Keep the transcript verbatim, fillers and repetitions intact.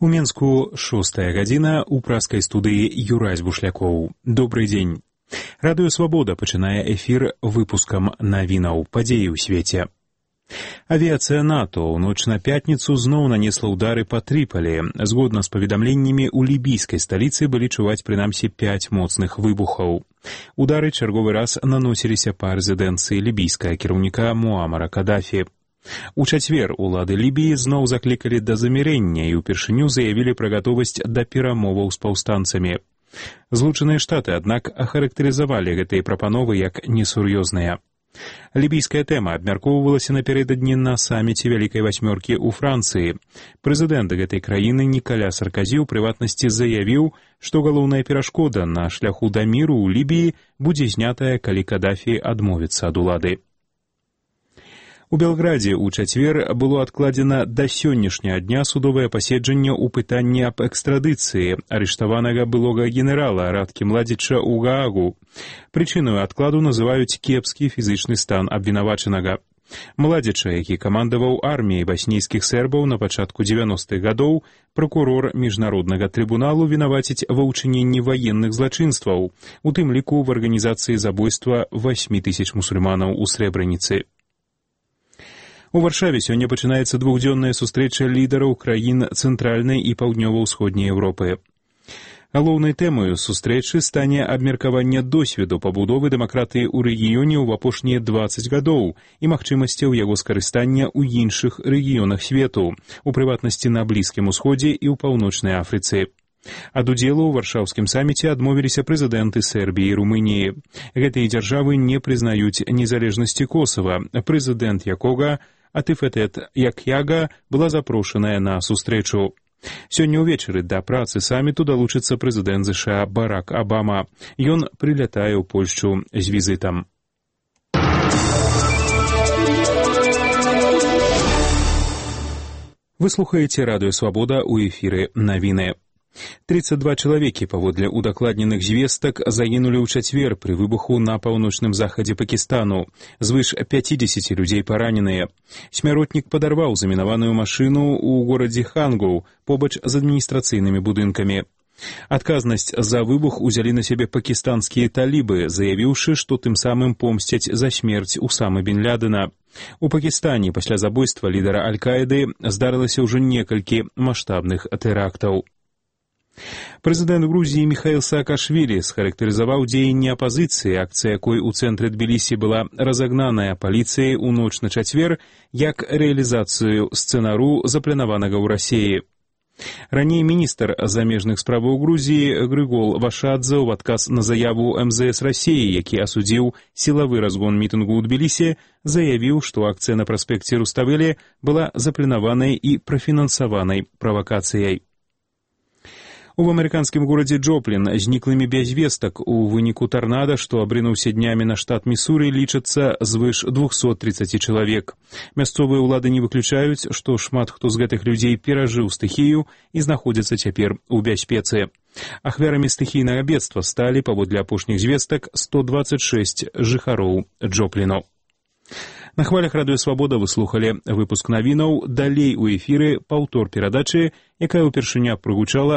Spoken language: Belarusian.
У Менску шостая гадзіна ў праскай студыі Юрась Бушлякоў. Добрый дзень. Радыё Свабода пачынае эфір выпускам навінаў падзеі ў свеце. Авіяцыя НАТО ў ноч на пятніцу зноў нанесла ўдары па Трыполі. Згодна з паведамленнямі, у лібійскай сталіцы былі чуваць прынамсі пяць моцных выбухаў. Удары чарговы раз наносіліся па рэзідэнцыі лібійскага кіраўніка Муамара Кадафі. У чацвер улады Лібіі зноў заклікалі да замірэння і ўпершыню заявілі пра гатовасць да перамоваў з паўстанцамі. Злучаныя Штаты, аднак, ахарактарызавалі гэтыя прапановы як несур'ёзныя. Лібійская тэма абмяркоўвалася напярэдадні на саміце Вялікай васьмёркі ў Францыі. Прэзідэнт гэтай краіны Нікаля Сарказі ў прыватнасці заявіў, што галоўная перашкода на шляху да міру ў Лібіі будзе знятая, калі Кадафі адмовіцца ад улады. У Белградзе ў чацвер было адкладзена да сённяшняга дня судовае паседжанне ў пытанні аб экстрадыцыі арыштаванага былога генерала Радкі Младзіча ў Гаагу. Прычынаю адкладу называюць кепскі фізычны стан абвінавачанага. Младзіча, які камандаваў арміяй баснійскіх сербаў на пачатку дзевяностых гадоў, пракурор міжнароднага трыбуналу вінаваціць ва ўчыненні ваенных злачынстваў, у тым ліку в арганізацыі забойства васьмі тысяч мусульманаў у Срэбраніцы. У Варшаве сёння пачынаецца двухдзённая сустрэча лідараў краін цэнтральнай і паўднёва-ўсходняй Еўропы. Галоўнай тэмаю сустрэчы стане абмеркаванне досведу пабудовы дэмакратыі ў рэгіёне ў апошнія дваццаць гадоў і магчымасцяў яго скарыстання ў іншых рэгіёнах свету, у прыватнасці на Блізкім Усходзе і ў Паўночнай Афрыцы. Ад удзелу ў варшаўскім саміце адмовіліся прэзідэнты Сербіі і Румыніі. Гэтыя дзяржавы не прызнаюць незалежнасці Косава, прэзідэнт якога Атыфетет Якяга была запрошаная на сустрэчу. Сёння ўвечары да працы саміту далучыцца прэзідэнт ЗША Барак Абама. Ён прылятае ў Польшчу з візітам. Вы слухаеце Радыё Свабода ў эфіры навіны. тридцать два чалавекі, паводле удакладненых звестак, загінулі ў чацвер пры выбуху на паўночным захадзе Пакістану. Звыш пяцідзесяці людзей параненыя. Смяротнік падарваў замінаваную машыну ў горадзе Хангоў, побач з адміністрацыйнымі будынкамі. Адказнасць за выбух узялі на сябе пакістанскія талібы, заявіўшы, што тым самым помсцяць за смерць Усамы бен Лядена. У Пакістане пасля забойства лідара Аль-Каіды здарылася ўжо некалькі маштабных тэрактаў. Прэзідэнт Грузіі Міхаіл Саакашвілі схарактарызаваў дзеянні апазіцыі, акцыя якой у цэнтры Тбілісі была разагнаная паліцыяй у ноч на чацвер, як рэалізацыю сцэнару, запланаванага ў Расіі. Раней міністр замежных справаў Грузіі Грыгол Вашадзе ў адказ на заяву эм зэ эс Расіі, які асудзіў сілавы разгон мітынгу ў Тбілісі, заявіў, што акцыя на праспекце Руставелі была запланаванай і прафінансаванай правакацыяй. У амерыканскім горадзе Джоплін зніклымі без вестак у выніку тарнада, што абрынуўся днямі на штат Місуры, лічацца звыш двухсот тридцати чалавек. Мясцовыя ўлады не выключаюць, што шмат хто з гэтых людзей перажыў стыхію і знаходзяцца цяпер у бяспецы. Ахвярамі стыхійнага бедства сталі, паводле апошніх звестак, сто дваццаць шэсць жыхароў Джопліну. На хвалях Радыё Свабода вы слухалі выпуск навінаў. Далей у эфіры паўтор перадачы, якая ўпершыня прагучала